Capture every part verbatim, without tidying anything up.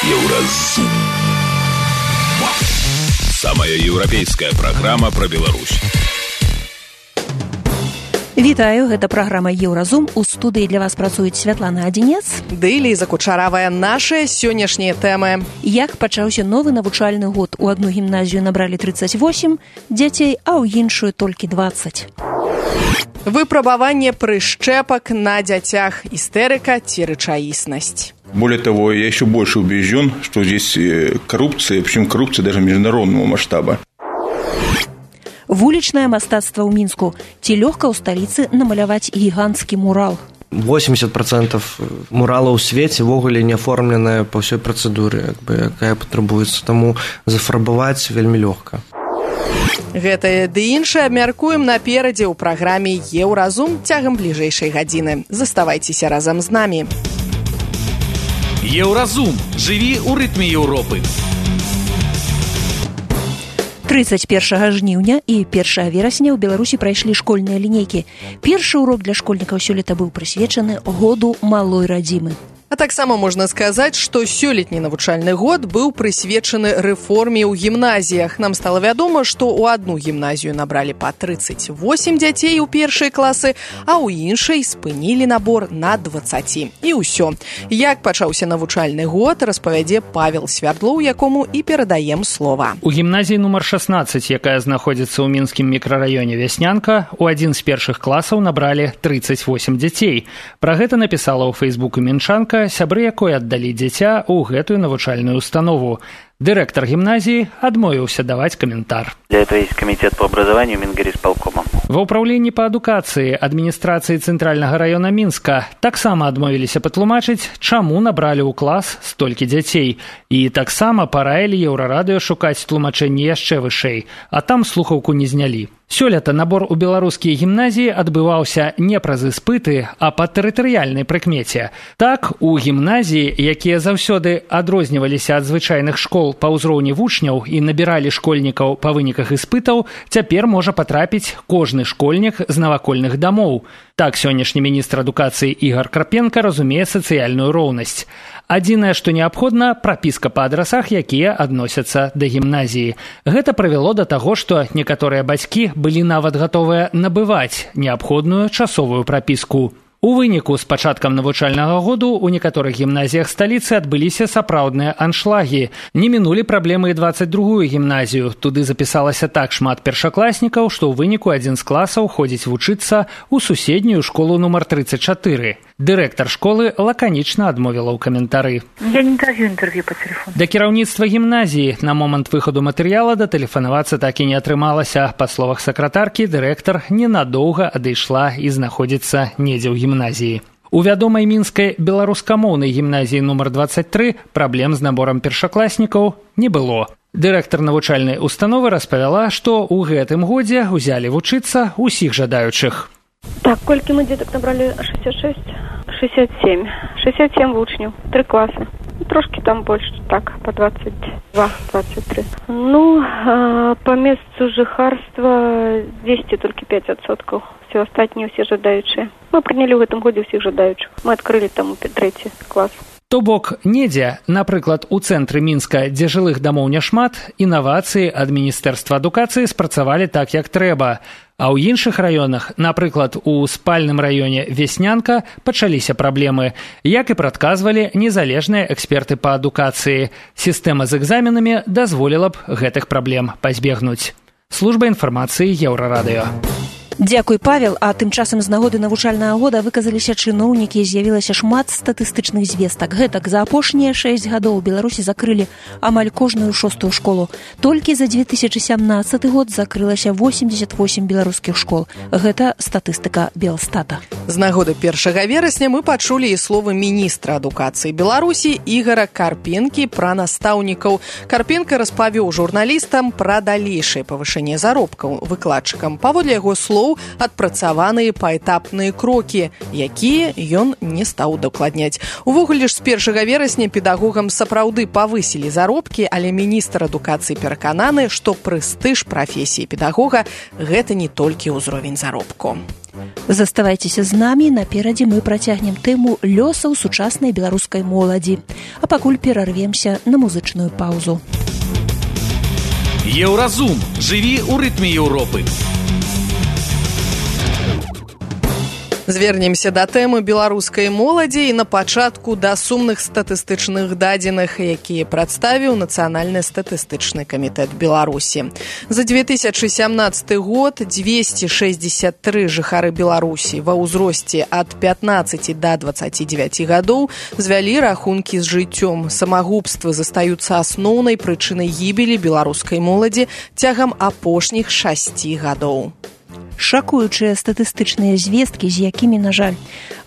Еўразум. Самая еўрапейская праграма пра Беларусь. Вітаю, гэта праграма «Еўразум». У студыі для вас працуюць Святлана Адзінец ды Ліза Кучаравая. Нашыя сённяшнія тэмы. Як пачаўся новы навучальны год? У адну гімназію набралі тридцать восемь дзяцей, а ў іншую толькі двадцать. Выпрабаванне прышчэпак на дзяцях. Истерика ці рэчаіснасць. Более того, я еще больше убежден, что здесь коррупция, причем коррупция даже международного масштаба. Вулічнае мастацтва ў Мінску. Ці лёгка ў сталіцы намаляваць гіганцкі мурал? восемьдесят процентов мурала ў свеце ввогуле не аформленая па ўсёй працэдуры, як бы, якая патрабуецца, таму зафарбаваць вельмі лёгка. Гэтае ды іншае абмяркуем наперадзе ў праграме «Еўразум» цягам бліжэйшай гадзіны. Заставайцеся разам з намі. Еўразум. Жыві ў рытме Еўропы. тридцать першага жніўня і першага верасня ў Беларусі прайшлі школьныя лінейкі. Першы урок для школьнікаў сёлета быў прысвечаны году малой радзімы. А таксама можна сказаць, што сёлетні навучальны год быў прысвечаны рэформе ў гімназіях. Нам стала вядома, што ў адну гімназію набралі па тридцать восемь дзяцей у першай класы, а ў іншай спынілі набор на дваццаць. І ўсё. Як пачаўся навучальны год, распавядзе Павел Свярдлоў, якому і перадаем слова. У гімназіі нумар шаснаццаць, якая знаходзіцца ў мінскім мікрараёне Вяснянка, у адзін з першых класаў набралі тридцать восемь дзяцей. Пра гэта напісала ў фэйсбуку мінчанка, сябры якой аддалі дзіця ў гэтую навучальную установу. Директор гимназии адмовился давать комментар. Для этого есть комитет по образованию Мингорисполкома. В управлении по адукации администрации Центрального района Минска таксама адмовіліся патлумачыць, чаму набралі ў клас столькі дзяцей. І таксама параілі Еўрарадыё шукаць тлумачэнне яшчэ вышэй, а там слухаўку не знялі. Сёлета набор у беларускія гімназіі адбываўся не праз іспыты, а па тэрытарыяльнай прыкмеце. Так, у гімназіі, якія заўсёды адрозніваліся ад звычайных школ па ўзроўні вучняў і набіралі школьнікаў па выніках іспытаў, цяпер можа патрапіць кожны школьнік з навакольных дамоў. Так сённяшні міністр адукацыі Ігар Карпенка разумее сацыяльную роўнасць. Адзінае, што неабходна, прапіска па адрасах, якія адносяцца да гімназіі. Гэта прывяло да таго, што некаторыя бацькі былі нават гатовыя набываць неабходную часовую прапіску. У выніку з пачаткам навучальнага году у некаторых гімназіях сталіцы адбыліся сапраўдныя аншлагі. Не мінулі праблемы і дваццаць другую гімназію. Туды запісалася так шмат першакласнікаў, што ў выніку адзін з класаў ходзіць вучыцца ў суседнюю школу нумар тридцать чатыры. Дырэктар школы лаканічна адмовіла ў каментары. Я не даю інтэрв'ю па тэлефону. Да кіраўніцтва гімназіі на момант выхаду матэрыяла датэлефанавацца так і не атрымалася. Па словах сакратаркі, дырэктар ненадоўга адышла і знаходзіцца недзе ў гімназіі. У вядомай мінскай беларускамоўнай гімназіі нумар двадцать тры праблем з наборам першакласнікаў не было. Дырэктар навучальнай установы распавяла, што ў гэтым годзе ўзялі вучыцца ўсіх жадаючых. Так, колькі мы дзетак набралі? шестьдесят шесть? шестьдесят семь. шестьдесят семь вучняў, три класы. Трошки там больше, так, по двадцать два двадцать три. Ну, э, по месту жыхарства двести только пять адсоткаў. Все астатнія ўсе жадаючыя. Мы прынялі ў гэтым годзе ўсіх жадаючых. Мы адкрылі там трэці клас. То бок, недзе, напрыклад, у цэнтры Мінска, дзе жылых дамоў няшмат, інавацыі ад Міністэрства адукацыі спрацавалі так, як трэба. А ў іншых раёнах, напрыклад, у спальным раёне Вяснянка, пачаліся праблемы. Як і прадказвалі незалежныя эксперты па адукацыі. Сістэма з экзаменамі дазволіла б гэтых праблем пазбегнуць. Служба інфармацыі Еўрарадыё. Дзякуй, Павел. А тым часам з нагоды навучальнага года выказаліся чыноўнікі, з'явілася шмат статыстычных звестак. Гэтак, за апошнія шэсць гадоў у Беларусі закрылі амаль кожную шостую школу. Толькі за две тысячи сямнадцаты год закрылася восемьдесят восемь беларускіх школ. Гэта статыстыка Белстата. З нагоды першага верасня мы пачулі і словы міністра адукацыі Беларусі Ігара Карпенкі пра настаўнікаў. Карпенка распавёў журналістам пра далейшае павышэнне заробкаў выкладчыкам. Паводле яго слоў, адпрацаваныя паэтапныя крокі, якія ён не стаў удакладняць. Увогуле ж з першага верасня педагогам сапраўды павысілі заробкі, але міністр адукацыі перакананы, што прэстыж прафесіі педагога гэта не толькі ўзровень заробку. Заставайцеся з намі, наперадзе мы працягнем тэму лёсаў сучаснай беларускай моладзі. А А пакуль перарвемся на музычную паузу. Еўразум. Жыві ў рытме Еўропы. Звернемся да тэмы беларускай моладзі і на пачатку да сумных статыстычных дадзеных, якія прадставіў Нацыянальны статыстычны камітэт Беларусі. За две тысячи сямнадцаты год двести шестьдесят три жыхары Беларусі ва ўзросце ад пятнаццаці да дваццаці дзевяці гадоў звялі рахункі з жыццём. Самагубствы застаюцца асноўнай прычынай гібелі беларускай моладзі цягам апошніх шасці гадоў. Шакуючыя статыстычныя звесткі, з якімі, на жаль,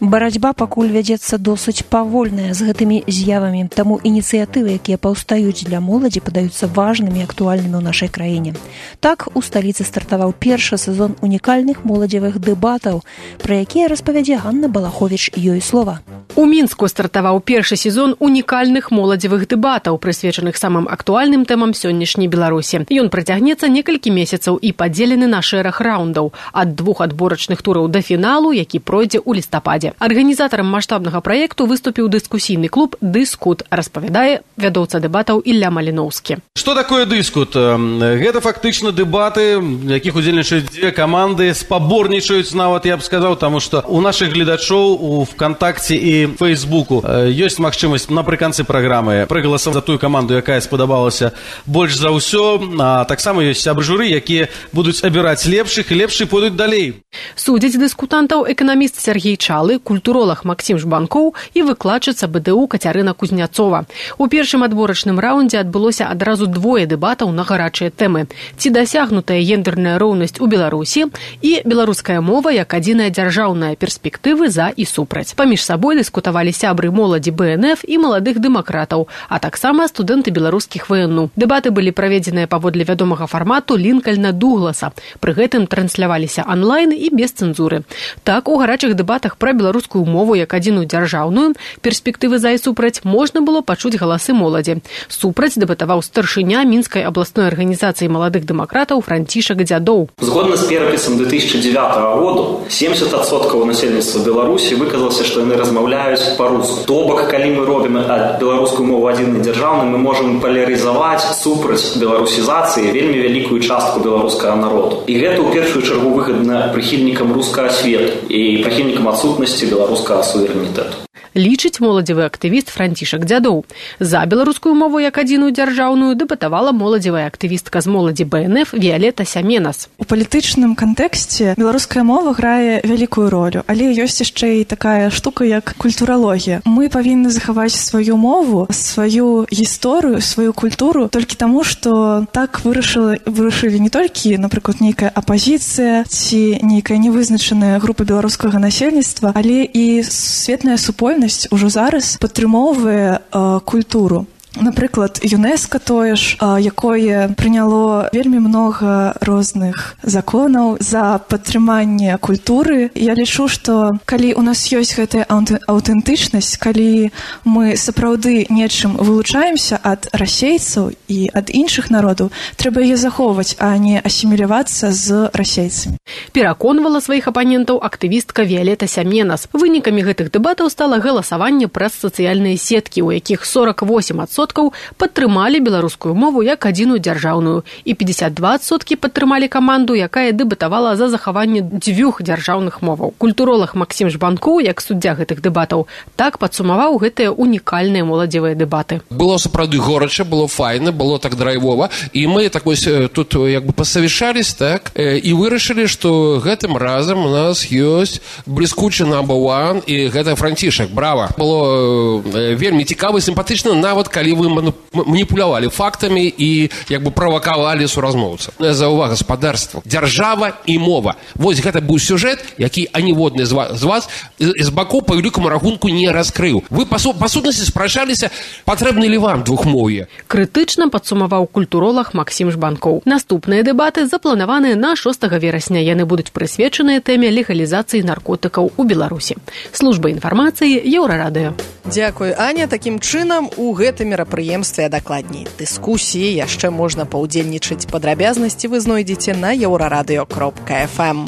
барацьба пакуль вядзецца досыць павольная з гэтымі з'явамі, таму ініцыятывы, якія паўстаюць для моладзі, падаюцца важнымі і актуальнымі ў нашай краіне. Так, у сталіцы стартаваў першы сезон унікальных моладзевых дэбатаў, пра якія распавядзе Ганна Балаховіч, ёй слова. У Мінску стартаваў першы сезон унікальных моладзевых дэбатаў, прысвечаных самым актуальным тэмам сённяшняй Беларусі. Ён працягнецца некалькі месяцаў і падзелены на шэраг раундаў, ад двух адборачных тураў да фіналу, які пройдзе ў лістападзе. Арганізатарам маштабнага праекту выступіў дыскусійны клуб «Дыскут», распавядае вядоўца дэбатаў Ілля Маліноўскі. Што такое дыскут? Гэта фактычна дэбаты, в якіх удзельнічаюць дзве каманды, спаборнічаюць нават, я б сказаў, таму што у нашых гледачоў у ВКонтакце і Фейсбуку ёсць магчымасць напрыканцы праграмы прыгаласаваць за тую каманду, якая спадабалася больш за ўсё, а таксама ёсць сябры журы, якія будуць абіраць лепшых і лепшых пойдуць далей. Судзяць дыскутантаў эканаміст Сергей Чалы, культуролаг Максім Жбанкоў і выкладчыца БДУ Кацярына Кузняцова. У першым адборачным раўндзе адбылося адразу двое дэбатаў на гарачыя тэмы. Ці дасягнутая гендерная роўнасць у Беларусі і беларуская мова як адзіная дзяржаўная перспектывы за і супраць. Паміж сабой дыскутавалі сябры моладзі Бэ Эн Эф і маладых дэмакратаў, а таксама студэнты беларускіх Вэ Эн У. Дэбаты былі праведзеныя паводле вядомага фармату Лінкальна Дугласа. Пры гэтым трансляваліся онлайн і без цэнзуры. Так, у гарачых дэбатах пра беларускую мову як адзіную дзяржаўную перспектывы за і супраць можна было пачуць галасы моладзі. Супраць дэбатаваў старшыня Мінскай абласной арганізацыі маладых дэмакратаў Францішак Дзядоў. Згодна з перапісам две тысячи девятого году семьдесят адсоткаў насельніцтва Беларусі выказалася, што яны размаўляюць па-руску. То бок, калі мы робім беларускую мову адзінай дзяржаўнай, мы можам палярызаваць супраць беларусізацыі вельмі вялікую частку беларускага народу. І гэта ў першую чаргу выгадна прыхільнікам рускага свету і прыхільнікам адсутнасці беларускага суверэнітэту. Лічыць моладзевы актывіст Францішак Дзядоў. За беларускую мову як адзіную дзяржаўную дэбатавала моладзевая актывістка з моладзі Бэ Эн Эф Віялета Сяменас. У палітычным кантэксце беларуская мова грае вялікую ролю, але ёсць яшчэ і такая штука, як культуралогія. Мы павінны захаваць сваю мову, сваю гісторыю, сваю культуру толькі таму, што так вырашылі, вырашылі не толькі, напрыклад, нейкая апазіцыя ці нейкая невызначаная група беларускага насельніцтва, але і светная супольнасць ужо зараз падтрымоўвае э, культуру. Напрыклад, ЮНЕСКО тое ж, якое прыняло вельмі многа розных законаў за падтрыманне культуры. Я лічу, што калі у нас ёсць гэтая аўтэнтычнасць, калі мы сапраўды нечым вылучаемся ад расейцаў і ад іншых народаў, трэба яе захоўваць, а не асімілявацца з расейцамі. Пераконвала сваіх апанентаў актывістка Віялета Сяменас. Вынікамі гэтых дэбатаў стала галасаванне праз сацыяльныя сеткі, у якіх сорок восемь адсоткаў падтрымалі беларускую мову як адзіную дзяржаўную і пятьдесят два адсоткі падтрымалі каманду, якая дэбатавала за захаванне дзвюх дзяржаўных моваў. Культуролаг Максім Жбанкоў, як суддзя гэтых дэбатаў, так падсумаваў гэтыя унікальныя моладзевыя дэбаты. Было сапраўды горача, было файна, было так драйвова, і мы так вось тут як бы пасавішались, так, і вырашылі, што гэтым разам у нас ёсць бліскучы number one, і гэта Францішак. Брава! Было вельмі цікава і сімпатычна, нават калі вы маніпулявалі фактамі і як бы правакавалі суразмоўца. За ўвага гаспадарства, дзяржава і мова. Вось гэта быў сюжэт, які аніводны з вас, з вас з бакоў па вялікаму рахунку не раскрыў. Вы па, па сутнасці спрачаліся, патрэбны ли вам двухмоўе. Крытычна падсумаваў культуролаг Максім Жбанкоў. Наступныя дэбаты запланаваныя на шостага верасня. Яны будуць прысвечаныя тэме легалізацыі наркотыкаў у Беларусі. Служба інфармацыі Еўрарадыё. Дзякуй, Аня. Такім чынам у гэтым мерапрыемстве, а дакладней дыскусіі яшчэ можна паўдзельнічаць. Падрабязнасці вы знойдзеце на еўрарадыё кропка эф эм.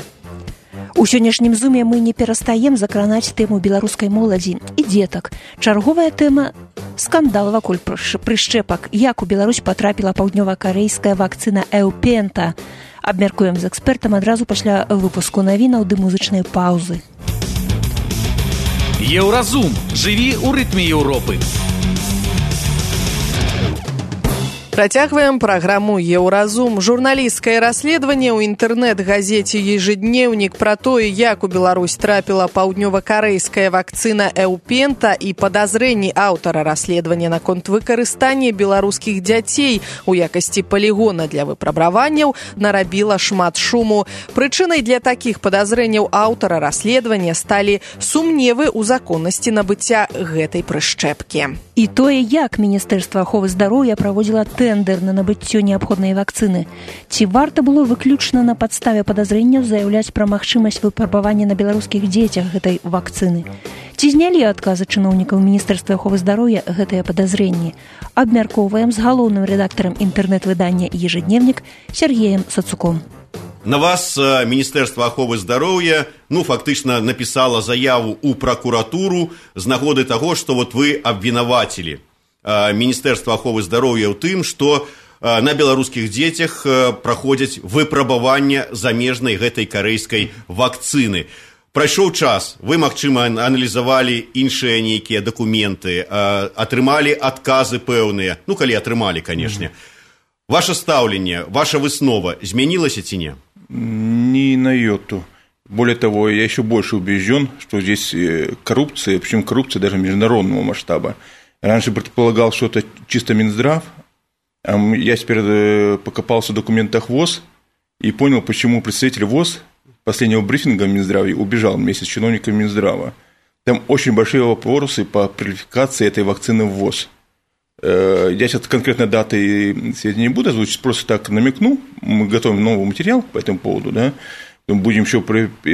У сённяшнім зуме мы не перастаем закранаць тэму беларускай моладзі і дзетак. Чарговая тэма – скандал вакол прышчэпак. Як у Беларусь патрапіла паўднёва-карэйская вакцына Эўпента. Абмяркуем з экспертам адразу пасля выпуску навінаў ды музычнай паўзы. Еўразум. Жыві ў рытме Еўропы. Працягваем праграму «Еўразум». Журналісцкае расследаванне ў інтэрнэт-газеце «Ежедневник» пра тое, як у Беларусь трапіла паўднёва-карэйская вакцына Эўпента і падазрэнні аўтара расследавання наконт выкарыстання беларускіх дзяцей у якасці палігона для выпрабаванняў нарабіла шмат шуму. Прычынай для такіх падазрэнняў аўтара расследавання сталі сумневы ў законнасці набыцця гэтай прышчэпкі. І тое, як Міністэрства аховы здароўя праводзіла тэндэр на набыццё неабходнай вакцыны. Ці варта было выключна на падставе падазрэнняў заяўляць пра магчымасць выпрабавання на беларускіх дзецях гэтай вакцыны? Ці знялі адказы чыноўнікаў Міністэрства аховы здароўя гэтыя падазрэнні? Абмяркоўваем з галоўным рэдактарам інтэрнэт-выдання «Ежедневник» Сергеем Сацуком. На вас Міністэрства аховы здароўя, ну, фактычна напісала заяву ў пракуратуру з нагоды таго, што вот вы абвінавацілі Міністэрства аховы здароўя ў тым, што на беларускіх дзецях праходзяць выпрабаванне замежнай гэтай карэйскай вакцыны. Прайшоў час, вы, магчыма, аналізавалі іншыя нейкія дакументы, атрымалі адказы пэўныя, ну, калі атрымалі, канешне. Ваше стаўленне, ваша выснова змянілася ці не? Ни на йоту. Более того, я еще больше убежден, что здесь коррупция, причем коррупция даже международного масштаба. Раньше предполагал, что это чисто Минздрав, а я теперь покопался в документах ВОЗ и понял, почему представитель ВОЗ последнего брифинга в Минздраве убежал вместе с чиновниками Минздрава. Там очень большие вопросы по квалификации этой вакцины в ВОЗ. Я сейчас конкретно даты и сведения не буду озвучить, просто так намекну. Мы готовим новый материал по этому поводу, да. Будем еще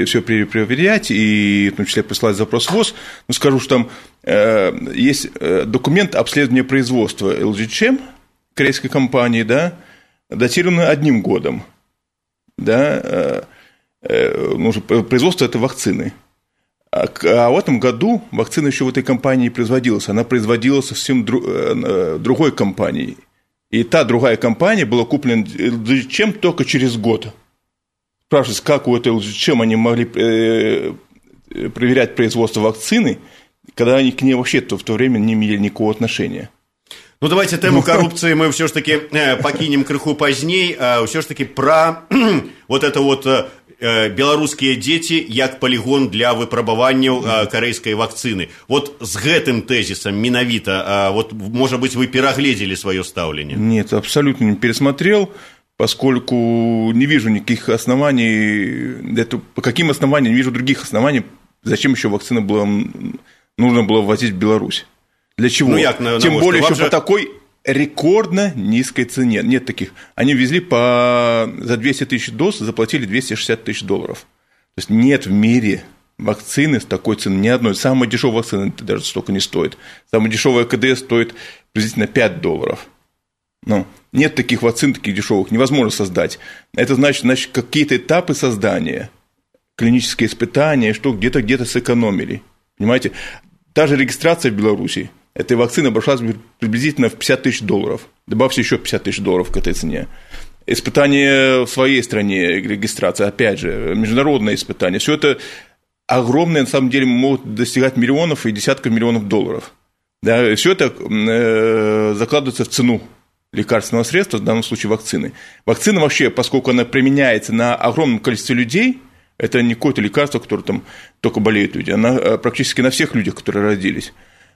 все проверять и в том числе присылать запрос в ВОЗ. Но скажу, что там э, есть документ обследования производства эл джи эйч эм, корейской компании, да, датированный одним годом, да, э, э, ну, производство этой вакцины. А, а в этом году вакцина еще в этой компании не производилась, она производилась совсем дру, э, другой компанией. И та другая компания была куплена эл джи эйч эм только через год. Спрашивается, как у этой эл джи эйч эм они могли э, проверять производство вакцины, когда они к ней вообще-то в то время не имели никакого отношения. Ну, давайте тему коррупции мы все ж таки покинем крыху поздней, а все ж таки про вот это вот беларускія дзеці як палігон для выпрабаванняў карэйскай вакцыны. Вот с гэтым тезисом менавіта, вот, может быть, вы перагледзелі свое стаўленне? Нет, абсолютно не пересмотрел, поскольку не вижу никаких оснований, это, по каким основаниям, не вижу других оснований, зачем еще вакцину было, нужно было ввозить в Беларусь. Для чего? Ну, як, на, Тем на более, еще же... по такой рекордно низкой цене. Нет таких. Они везли по... за двести тысяч доз, заплатили двести шестьдесят тысяч долларов. То есть нет в мире вакцины с такой ценой, ни одной. Самая дешевая вакцина даже столько не стоит. Самая дешевая ка дэ эс стоит приблизительно пять долларов. Ну, нет таких вакцин, таких дешевых, невозможно создать. Это значит, значит какие-то этапы создания, клинические испытания, что где-то где-то сэкономили. Понимаете? Та же регистрация в Беларуси этой вакцины обошлась приблизительно в пятьдесят тысяч долларов. Добавьте еще пятьдесят тысяч долларов к этой цене. Испытания в своей стране, регистрация, опять же, международное испытание. Все это огромные, на самом деле, могут достигать миллионов и десятков миллионов долларов. Да, все это э, закладывается в цену лекарственного средства, в данном случае вакцины. Вакцина вообще, поскольку она применяется на огромном количестве людей, это не какое-то лекарство, которое там только болеют люди, она практически на всех людях, которые родились,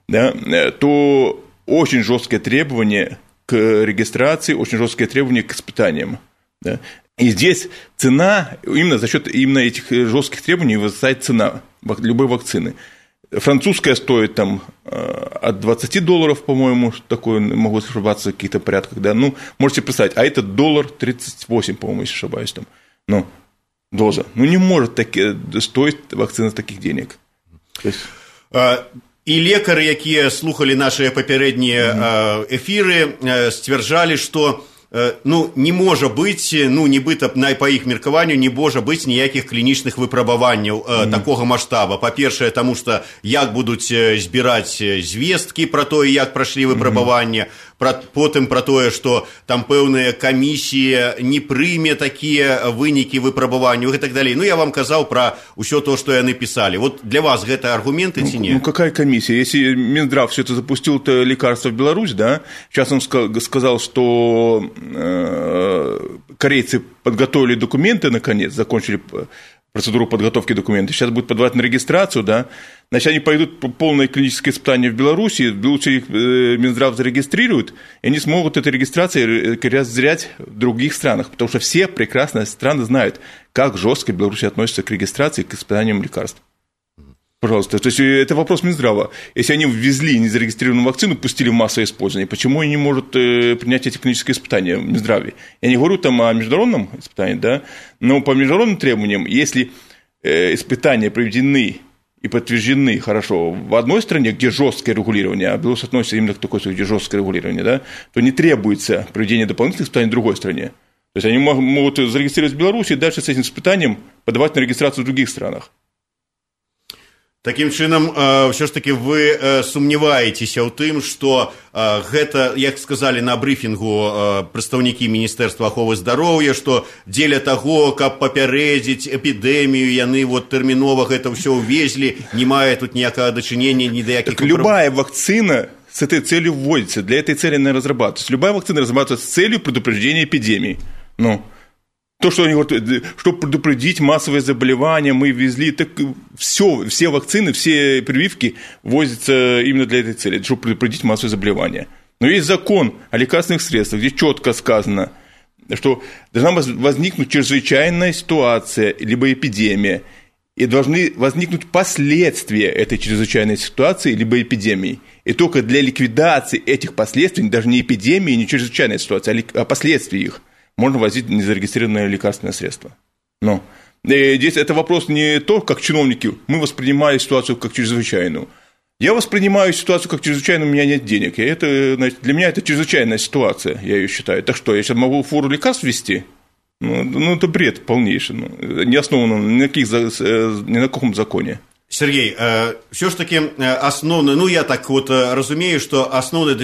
да, то очень жесткие требования к регистрации, очень жесткие требования к испытаниям. Да. И здесь цена, именно за счет именно этих жестких требований вырастает цена любой вакцины. Французская стоит там от двадцати долларов, по-моему, такое, могу ошибаться в каких-то порядках, да, ну, можете представить, а это доллар тридцать восемь, по-моему, если ошибаюсь, там, ну, доза. Ну, не может таки, стоить вакцина таких денег. То есть... І лекары, якія слухалі нашыя папярэднія эфіры, сцвярджалі, што ну, не можа быць, ну, нібыта па іх меркаванню не можа быць ніякіх клінічных выпрабаванняў mm-hmm. такога маштаба. Па-першае, таму што як будуць збіраць звесткі пра тое, як прайшлі выпрабаванне, mm-hmm. пра, потым пра тое, што там пэўная камісія не прыме такія вынікі выпрабаванняў і так далей. Ну, я вам казаў пра ўсё то, што яны пісалі. Вот для вас гэта аргументы ці не? Ну, какая комиссия? Если Минздрав все это запустил, это лекарство в Беларусь, да, сейчас он сказал, что корейцы подготовили документы, наконец, закончили процедуру подготовки документов, сейчас будут подавать на регистрацию, да, значит, они пойдут по полное клиническое испытание в Беларуси, в Беларуси их Минздрав зарегистрирует, и они смогут этой регистрацией разделять в других странах, потому что все прекрасно страны знают, как жестко Беларусь относится к регистрации, к испытаниям лекарств. Пожалуйста, то есть это вопрос Минздрава. Если они ввезли незарегистрированную вакцину, пустили в массовое использование, почему они не могут принять эти клинические испытания в Минздраве? Я не говорю там о международном испытании, да, но по международным требованиям, если испытания проведены и подтверждены хорошо в одной стране, где жесткое регулирование, а Беларусь относится именно к такой стране, где жесткое регулирование, да, то не требуется проведение дополнительных испытаний в другой стране. То есть они могут зарегистрировать в Беларуси и дальше с этим испытанием подавать на регистрацию в других странах. Такім чынам, ўсё ж такі вы сумняваецеся ў тым, што гэта, як сказалі на брыфінгу прадстаўнікі Міністэрства аховы здароўя, што дзеля таго, каб папярэдзіць эпідэмію, яны вот тэрмінова гэта ўсё ўвезлі, не мае тут ніякага дачынення ні да якіх... Так любая вакцина с этой целью вводится, для этой цели она разрабатывается. Любая вакцина разрабатывается с целью предупреждения эпидемии. Ну... То, что они говорят, чтобы предупредить массовые заболевания, мы везли, так все, все вакцины, все прививки ввозятся именно для этой цели, чтобы предупредить массовые заболевания. Но есть закон о лекарственных средствах, где четко сказано, что должна возникнуть чрезвычайная ситуация, либо эпидемия, и должны возникнуть последствия этой чрезвычайной ситуации, либо эпидемии. И только для ликвидации этих последствий, даже не эпидемии, не чрезвычайной ситуации, а последствий их, можно возить незарегистрированное лекарственное средство. Но здесь это вопрос не то, как чиновники, мы воспринимали ситуацию как чрезвычайную. Я воспринимаю ситуацию как чрезвычайную, у меня нет денег. И это, значит, для меня это чрезвычайная ситуация, я ее считаю. Так что, я сейчас могу фуру лекарств ввести? Ну, ну это бред полнейший, ну, не основано ни на, каких, ни на каком законе. Сергей, все ж таки основное, ну я так вот разумею, что основная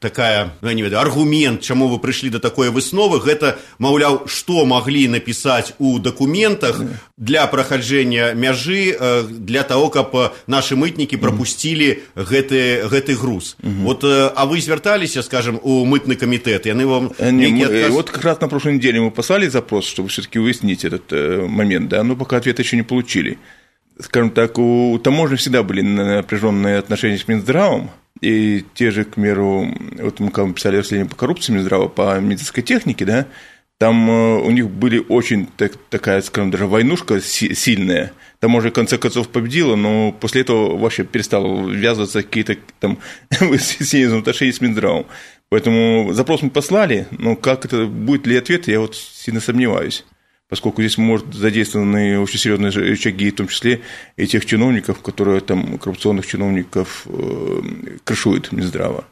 такая, ну, я не ведаю, аргумент, чему вы пришли до такой высновы, это, маўляў, что могли написать у документах для прохождения мяжи, для того, как наши мытники пропустили гэты, гэты груз. Угу. Вот, а вы звертались, скажем, у мытный комитет, и они вам... Не, мы, отказ... Вот как раз на прошлой неделе мы послали запрос, чтобы все-таки уяснить этот момент, да, но пока ответа еще не получили. Скажем так, у таможни всегда были напряженные отношения с Минздравом, и те же, к примеру, вот мы когда писали расследование по коррупции Минздрава, по медицинской технике, да, там у них были очень так, такая, скажем, даже войнушка сильная, таможня в конце концов победила, но после этого вообще перестало ввязываться какие-то там выяснения отношений с Минздравом. Поэтому запрос мы послали, но как это, будет ли ответ, я вот сильно сомневаюсь. Поскольку здесь, может, задействованы очень серьезные рычаги, в том числе и тех чиновников, которые там, коррупционных чиновников, э, крышуют Минздрава,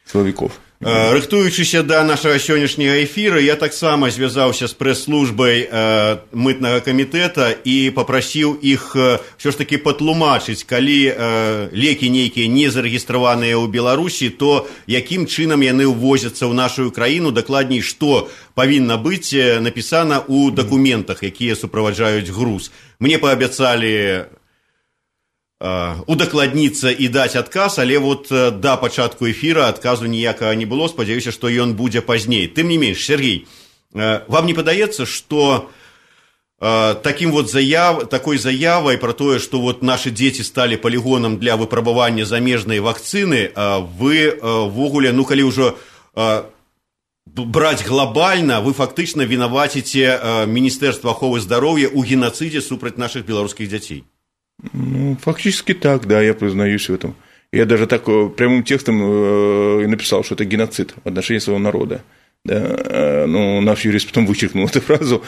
силовиков. Рыхтуючыся да нашага сённяшняга эфіра, я таксама звязаўся з прэс-службай э, мытнага камітэта і папрасіў іх э, ўсё ж такі патлумачыць, калі э, лекі нейкія не зарэгістраваныя ў Беларусі, то якім чынам яны ўвозяцца ў нашу краіну, дакладней, што павінна быць напісана ў дакументах, якія суправаджаюць груз. Мне паабяцалі удакладніцца і даць адказ, але вот да пачатку эфіра адказу ніякага не было, спадзяюся, што ён будзе пазней. Тым не менш, Сергей, вам не падаецца, што таким вот заяв, такой заявай про тое, што вот наши дзеці сталі палігонам для выпрабавання замежнай вакцыны, вы ввогуле, ну калі ўжо браць глобальна, вы фактычна вінаваціце Міністэрства аховы здароўя ў геноцидзе супраць наших беларускіх дзяцей. Ну, фактически так, да, я признаюсь в этом. Я даже так прямым текстом э, написал, что это геноцид в отношении своего народа. Да, э, ну, наш юрист потом вычеркнул эту фразу,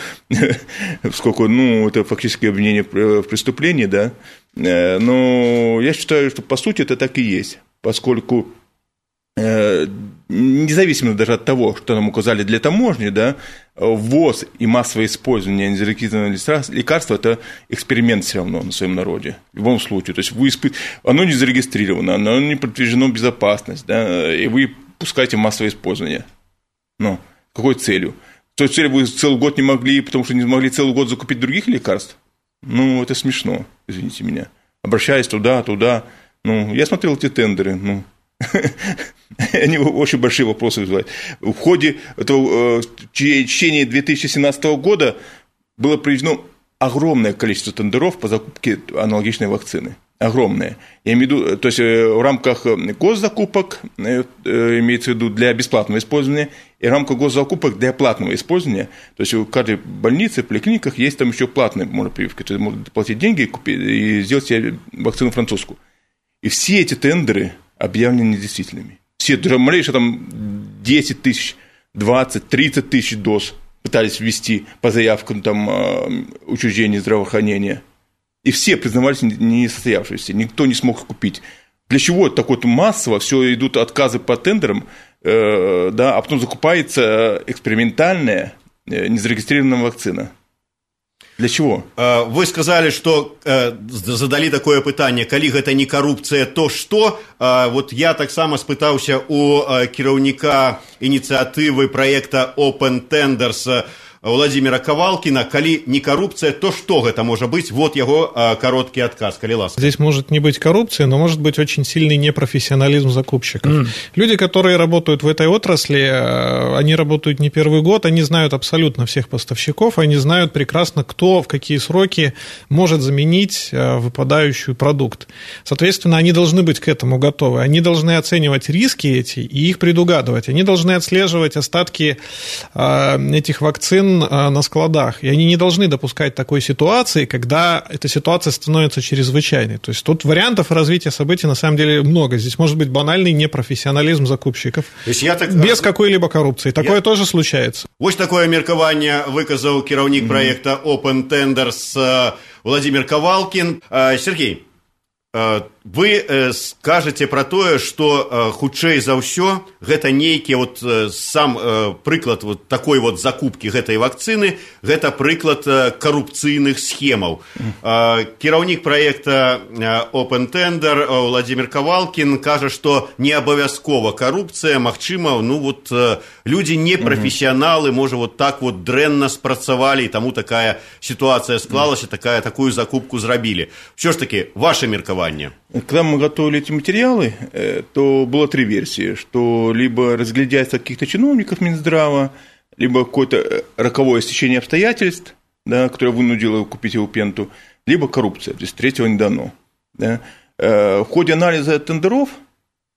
поскольку, ну, это фактически обвинение в преступлении, да. Э, но я считаю, что по сути это так и есть, поскольку э, независимо даже от того, что нам указали для таможни, да, ввоз и массовое использование незарегистрированного лекарства – это эксперимент все равно на своем народе, в любом случае. То есть вы исп... оно не зарегистрировано, оно не подтверждено безопасность, да, и вы пускаете массовое использование. Ну, какой целью? То есть целью вы целый год не могли, потому что не могли целый год закупить других лекарств? Ну, это смешно, извините меня. Обращаясь туда, туда. Ну, я смотрел эти тендеры, ну, они очень большие вопросы вызывают. В ходе этого, в течение две тысячи семнадцатого года было проведено огромное количество тендеров по закупке аналогичной вакцины. Огромное. Я имею в виду, то есть в рамках госзакупок, имеется в виду для бесплатного использования, и в рамках госзакупок для платного использования. То есть в каждой больнице, в поликлиниках есть там еще платная можно прививка. То есть можно платить деньги и, купить, и сделать себе вакцину французскую. И все эти тендеры объявлены недействительными. Все, даже малейшие там десять тысяч, двадцать, тридцать тысяч доз пытались ввести по заявкам там, учреждений здравоохранения. И все признавались несостоявшимися, никто не смог их купить. Для чего так вот массово все идут отказы по тендерам, э, да, а потом закупается экспериментальная э, незарегистрированная вакцина? Для чего? Вы сказали, что задали такое пытанне, калі гэта не коррупция, то что? Вот я так само спытаўся у кіраўніка инициативы проекта Open Tenders Владимира Ковалкина, калі не коррупция, то что это может быть? Вот его а, короткий отказ, калі ласка. Здесь может не быть коррупции, но может быть очень сильный непрофессионализм закупщиков. Mm. Люди, которые работают в этой отрасли, они работают не первый год, они знают абсолютно всех поставщиков, они знают прекрасно, кто в какие сроки может заменить выпадающий продукт. Соответственно, они должны быть к этому готовы, они должны оценивать риски эти и их предугадывать, они должны отслеживать остатки этих вакцин на складах, и они не должны допускать такой ситуации, когда эта ситуация становится чрезвычайной. То есть тут вариантов развития событий на самом деле много. Здесь может быть банальный непрофессионализм закупщиков, то есть я так... без какой-либо коррупции. Такое я... тоже случается. Вот такое меркаванне выказал кіраўнік mm-hmm. проекта Open Tenders Владимир Ковалкин. Сергей, вы скажете про тое, что хутчэй за ўсё гэта нейкі вот сам прыклад вот такой вот закупкі гэтай вакцыны, гэта прыклад коррупцыйных схемаў. Кіраўнік проекта Open Tender Владимир Ковалкин кажа, что не абавязкова коррупция, магчыма, ну вот люди не профессионалы, можа вот так вот дрэнна спрацавалі, и тому такая ситуация склалася, такая такую закупку зрабілі. Все ж таки, ваше меркаванне. Когда мы готовили эти материалы, то было три версии, что либо разглядятся каких-то чиновников Минздрава, либо какое-то роковое стечение обстоятельств, да, которое вынудило купить его пенту, либо коррупция, то есть третьего не дано. Да. В ходе анализа тендеров,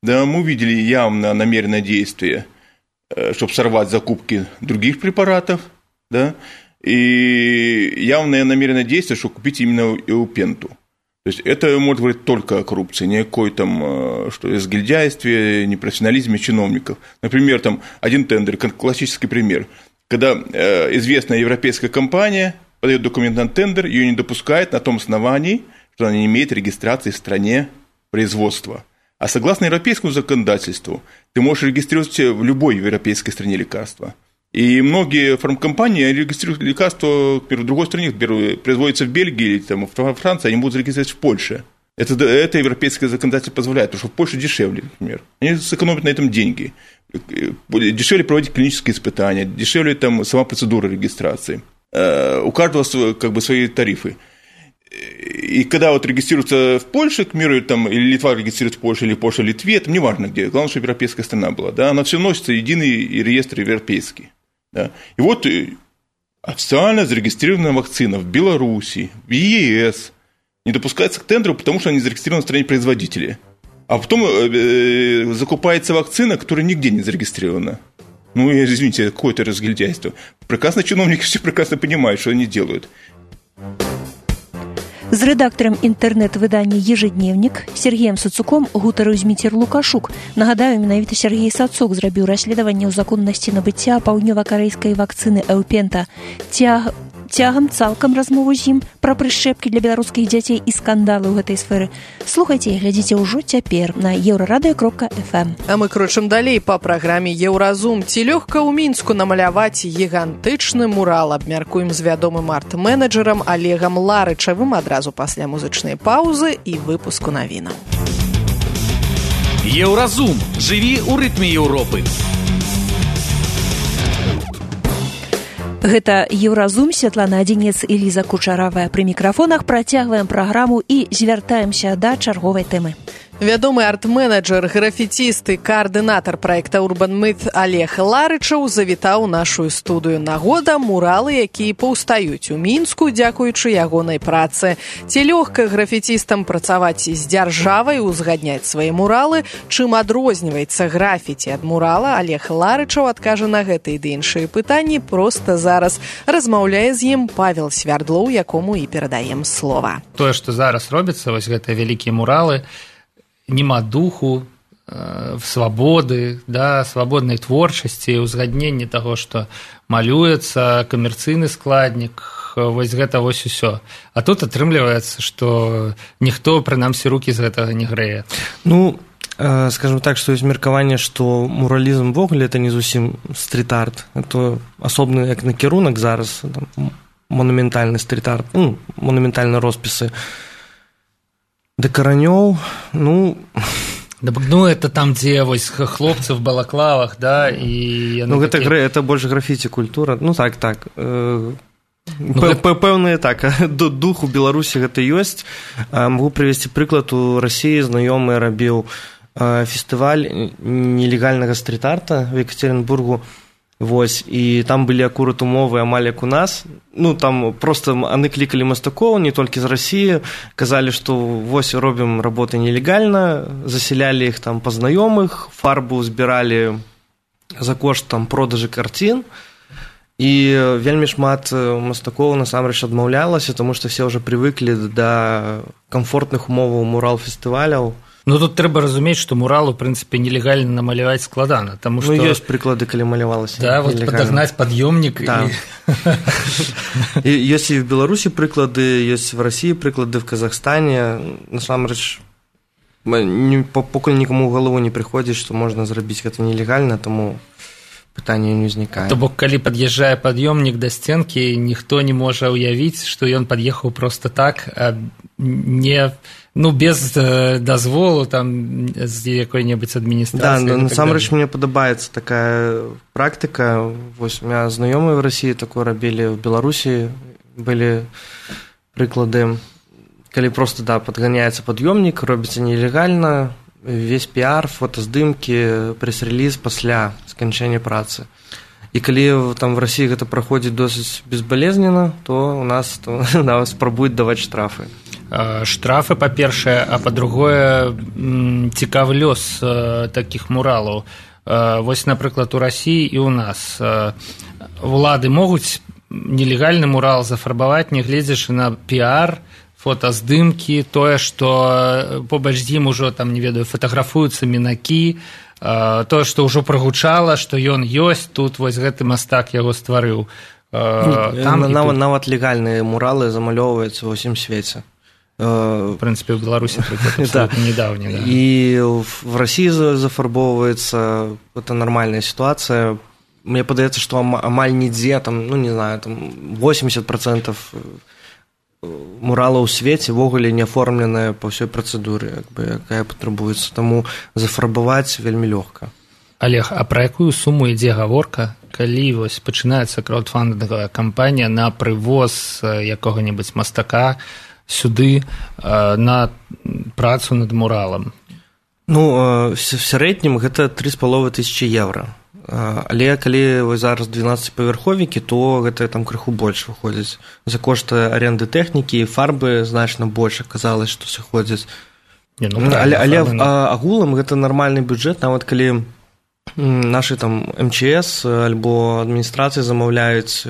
да, мы увидели явно намеренное действие, чтобы сорвать закупки других препаратов, да, и явное намеренное действие, чтобы купить именно эупенту. То есть это может говорить только о коррупции, не о какой там, что разгильдяйстве, непрофессионализме чиновников. Например, там один тендер, классический пример, когда э, известная европейская компания подает документ на тендер, ее не допускает на том основании, что она не имеет регистрации в стране производства. А согласно европейскому законодательству, ты можешь регистрировать в любой европейской стране лекарства. И многие фармкомпании регистрируют лекарства, например, в другой стране, например, производятся в Бельгии или там, в Франции, они будут зарегистрировать в Польше. Это, это европейское законодательство позволяет, потому что в Польше дешевле, например. Они сэкономят на этом деньги. Дешевле проводить клинические испытания, дешевле там, сама процедура регистрации. У каждого как бы, свои тарифы. И когда вот регистрируется в Польше, к примеру, там, или Литва регистрирует в Польше, или Польша в Литве, это не важно где, главное, чтобы европейская страна была, да, она все носится единый реестр европейский. Да. И вот официально зарегистрированная вакцина в Беларуси, в ЕС не допускается к тендеру, потому что она не зарегистрирована в стране производителя. А потом э, закупается вакцина, которая нигде не зарегистрирована. Ну, извините, какое-то разгильдяйство. Прекрасно чиновники все прекрасно понимают, что они делают. З рэдактарам інтэрнэт-выдання «Ежедневнік» Сергеем Сацуком гутарыў Зміцер Лукашук. Нагадаю, менавіта Сергей Сацук зрабіў расследаванне ў законнасці набыцця паўднёва-карэйскай вакцыны «Эупента». Цяг... цягам цалкам размову з ім пра прышчэпкі для беларускіх дзяцей і скандалы ў гэтай сферы слухайце і глядзіце ўжо цяпер на еўрарадыё кропка эф эм. А мы крочым далей па праграме «Еўразум». Ці лёгка ў Мінску намаляваць гігантычны мурал? Абмяркуем з вядомым арт-менеджерам Олегам Ларычавым адразу пасля музычнай паўзы і выпуску навінаў. Еўразум. Жыві ў рытме Еўропы. Гэта Еўразум, Святлана Адзінец і Ліза Кучаравая. Пры мікрафонах працягваем праграму і звяртаемся да чарговай тэмы. Вядомы арт-менеджер, графіціст і каардынатар праекта Urban Myth Олег Ларычаў завітаў нашу студыю. Нагода муралы, якія паўстаюць у Мінску, дзякуючы ягонай працы. Ці лёгка графіцістам працаваць з дзяржавай, узгадняць свае муралы? Чым адрозніваецца графіці ад мурала? Олег Ларычаў адкажа на гэтыя ды іншыя пытанні проста зараз. Размаўляе з ім Павел Свярдлоў, якому і перадаем слова. Тое, што зараз робіцца, вось гэтыя вялікія муралы, нема духу, э, свабоды, да, свабоднай творчасці, узгаднення таго, што малюецца, камерцыйны складнік, вось гэта вось усё. А тут атрымліваецца, што ніхто, прынамсі, рукі з гэтага не грэе. Ну, э, скажем так, што ёсць меркаванне, што муралізм ввогуле это не зусім стрит-арт, это асобны як накірунак зараз, там, монументальны стрит-арт, ну, монументальныя роспісы. Да каранёў, ну... Ну, это там, дзе вось хлопцы в балаклавах, да, і... Ну, гэта, такі... это больш графіці культура, ну, так, так. Ну, пэўныя, так, дух у Беларусі гэта ёсць. Магу прывесці прыклад, у Расіі знаёмы рабіў фестываль нелегальнага стрит-арта в Екатеринбургу. Вось, і там былі акурат умовы амаль як у нас. Ну, там проста яны клікалі мастакоў, не толькі з Расіі, казалі, што вось робім работы нелегальна, засялялі іх там па знаёмых, фарбу збіралі за кошт там продажы карцін, і вельмі шмат мастакоў насамрэч адмаўлялася, таму што все ўжо прывыклі да камфортных умоваў мурал-фестываляў. Ну, тут трэба разумець, што мурал, у прынцыпе, нелегальна намаляваць складана. Таму, што... Ну, ёсць прыклады, калі малявалася. Да, вот падагнаць пад'ёмнік. Да. І... ёсць і в Беларусі прыклады, ёсць в Расіі прыклады, в Казахстане. Насамрэч, пакуль нікому ў галаву не прыходзіць, што можна зрабіць гэта нелегальна, таму пытанне не ўзнікае. То бок, калі пад'язджае пад'ёмнік да сценкі, ніхто не можа ўявіць, што ён пад'ехаў проста так, а не... Ну, без э, дазволу там з якой-небудзь адміністрацыі. Да, насамрэч мне падабаецца такая практыка. Вось у меня знаёмыя в Расіі такое рабілі, в Беларусі былі прыклады, калі проста, да, падганяецца пад'ёмнік, робіцца нелегальна, весь піар, фотаздымкі, прэс-рэліз пасля сканчэння працы. І калі там в Расіі гэта праходзіць досыць безбалезнена, то у нас то, да, спрабуюць даваць штрафы. Штрафы, па-першае, а па-другое, цікавы лёс такіх муралаў. Вось, напрыклад, у Расіі і ў нас улады могуць нелегальны мурал зафарбаваць, нягледзячы на піар, фотаздымкі, тое, што побач з ім ужо, там, не ведаю, фатаграфуюцца мінакі, тое, што ўжо прагучала, што ён ёсць, тут вось гэты мастак яго стварыў. Там нават, тут... нават легальныя муралы замалёўваюцца ва ўсім свеце. В прынцыпе, ў Беларусі, прыклад, абсолютно недавні. Да. І в Расіі зафарбоўваецца, это нармальная сітуацыя. Мне падаецца, што амаль нідзе, там, ну, не знаю, там восемьдесят процентов муралаў у свеце ввогуле не аформленая па ўсёй працэдуры, якая патрабуецца. Таму зафарбаваць вельмі лёгка. Олег, а пра якую суму ідзе гаворка, калі вось пачынаецца краудфандынговая кампанія на прывоз якога-небудзь мастака сюды на працу над муралам? Ну, в сярэднім гэта тры з паловай тысячы еўра. Але калі вось зараз двенаццаціпавярховікі, то гэта там крыху больш выходзіць. За кошт аренды тэхнікі і фарбы значна больш аказалось, што сыходзіць. Не, ну, але але агулам гэта нармальны бюджэт, нават калі нашы там эм че эс альбо адміністрацыі замаўляюць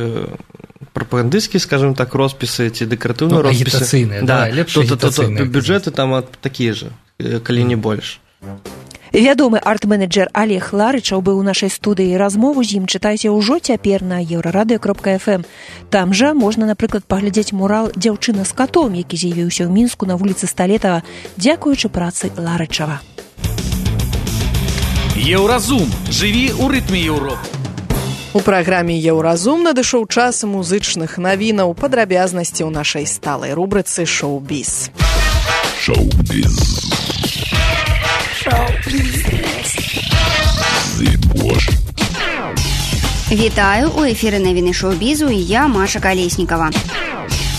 прапагандысцкія, скажем так, роспісы ці дэкаратыўныя ну, роспісы. Агітацыйныя, да, да, лепш агітацыйныя. Бюджэты там такія ж, калі не больш. Вядомы арт-менеджер Олег Ларычаў быў у нашай студыі. Размову з ім чытайце ўжо цяпер на еўрарадыё кропка эф эм. Там жа можна, напрыклад, паглядзець мурал «Дзяўчына з катом», які з'явіўся ў Мінску на вуліцы Сталетава, дзякуючы працы Ларычава. Еўразум. Жыві ў рытме Еўропы. У праграме «Еўразум» надышоў час музычных навінаў, падрабязнасці ў нашай сталай рубрыцы «Шоу-біз». Шоу-біз. Вітаю, у эфіры навіны шоу-бізу і я, Маша Калеснікава.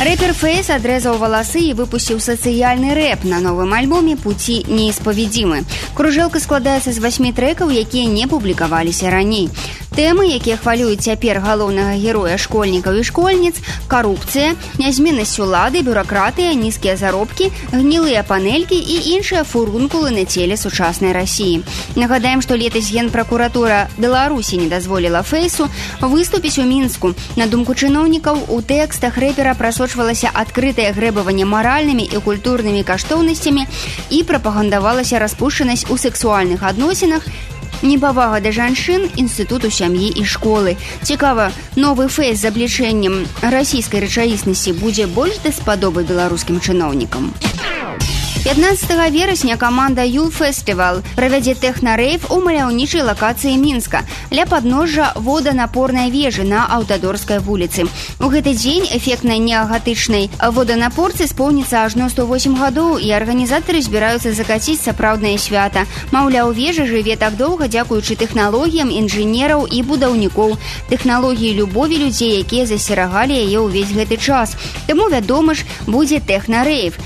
Рэпер Фэйс адрэзаў валасы і выпусціў сацыяльны рэп на новым альбоме «Пуці неіспаведзімы». Кружэлка складаецца з васьмі трэкаў, якія не публікаваліся раней. Тэмы, якія хвалююць цяпер галоўнага героя школьнікаў і школьніц, карупцыя, нязменнасць улады, бюракратыя, нізкія заробкі, гнілыя панелькі і іншыя фурункулы на целе сучаснай Расіі. Нагадаем, што летась Генпракуратура Беларусі не дазволіла Фэйсу выступіць у Мінску. На думку чыноўнікаў, у тэкстах рэпера прасочвалася адкрытае грэбаванне маральнымі і культурнымі каштоўнасцямі і прапагандавалася распушчанасць у сэксуальных адносінах, непавага да жанчын, інстытуту сям'і і школы. Цікава, новы Фэйс з аблічэннем расійскай рэчаіснасці будзе больш даспадобы беларускім чыноўнікам. пятнадцатага верасня каманда Юл Фестывал правядзе тэхна-рэйв у маляўнічай лакацыі Мінска ля падножжа воданапорнай вежы на Аўтадорскай вуліцы. У гэты дзень эфектнай неагатычнай воданапорцы споўніцца ажно сто восем гадоў, і арганізатары збіраюцца закаціць сапраўднае свята. Маўляў, вежа жыве так доўга дзякуючы тэхналогіям інжынераў і будаўнікоў, тэхналогіі любові людзей, якія засцерагалі яе ўвесь гэты час. Таму, вядома ж, будзе тэхна-рэйв.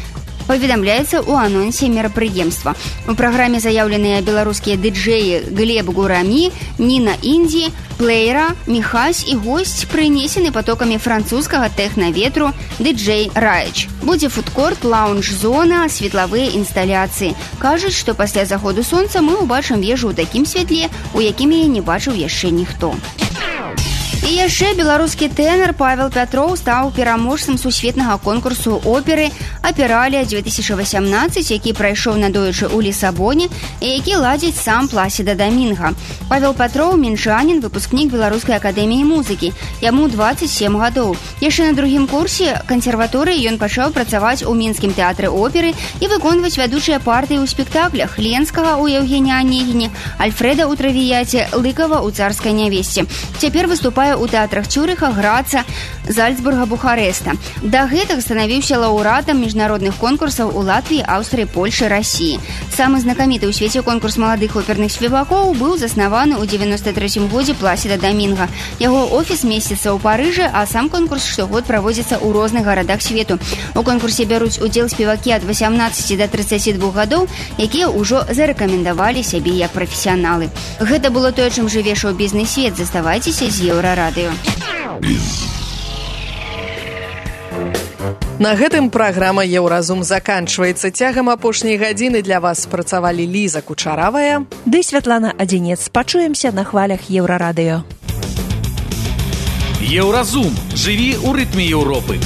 Паведамляецца ў анонсе мерапрыемства. У праграме заяўленыя беларускія дыджэі Глеб Гурамі, Ніна Індзі, Плеера, Міхась і госць, прынесены потокамі французскага тэхна-ветру дыджэй Раіч. Будзе фудкорт, лаунж-зона, светлавыя інсталяцыі. Кажуць, што пасля заходу сонца мы ўбачым вежу ў такім святле, у якім яе не бачыў яшчэ ніхто. І яшчэ беларускі тэнар Павел Пятроў стаў пераможцам сусветнага конкурсу оперы «Апералія две тысячи восемнадцать», які прайшоў надоечы ў Лісабоне і які ладзіць сам Пласіда Дамінга. Павел Пятроў – мінчанін, выпускнік Беларускай акадэміі музыкі. Яму дваццаць сем гадоў. Яшчэ на другім курсе кансерваторыі ён пачаў працаваць у мінскім тэатры оперы і выконваць вядучыя партыі ў спектаклях Ленскага ў Еўгене Анегіне, Альфрэда ў Травіяце, Лыкава ў Царскай нявесце. Цяпер выступае у тэатрах Цюрыха, Граца, Зальцбурга, Бухарэста. Да гэтага станавіўся лаўрэатам міжнародных конкурсаў у Латвіі, Аўстрыі, Польшы, Расіі. Самы знакаміты ў свеце конкурс маладых оперных спевакоў быў заснаваны ў дзевяноста трэцім годзе Пласіда Дамінга. Яго офіс месціцца ў Парыжы, а сам конкурс штогод праводзіцца ў розных гарадах свету. У конкурсе бяруць удзел спевакі ад васямнаццаці да трыццаці двух гадоў, якія ўжо зарэкамендавалі сябе як прафесіяналы. Гэта было тое, чым жыве шоу-бізны свет. Заставайцеся з Еўрарадыё. На гэтым праграма «Еўразум» заканчваецца. Цягам апошняй гадзіны для вас працавалі Ліза Кучаравая ды Святлана Адзінец. Пачуемся на хвалях Еўрарадыё. Еўразум. Жыві ў рытме Еўропы.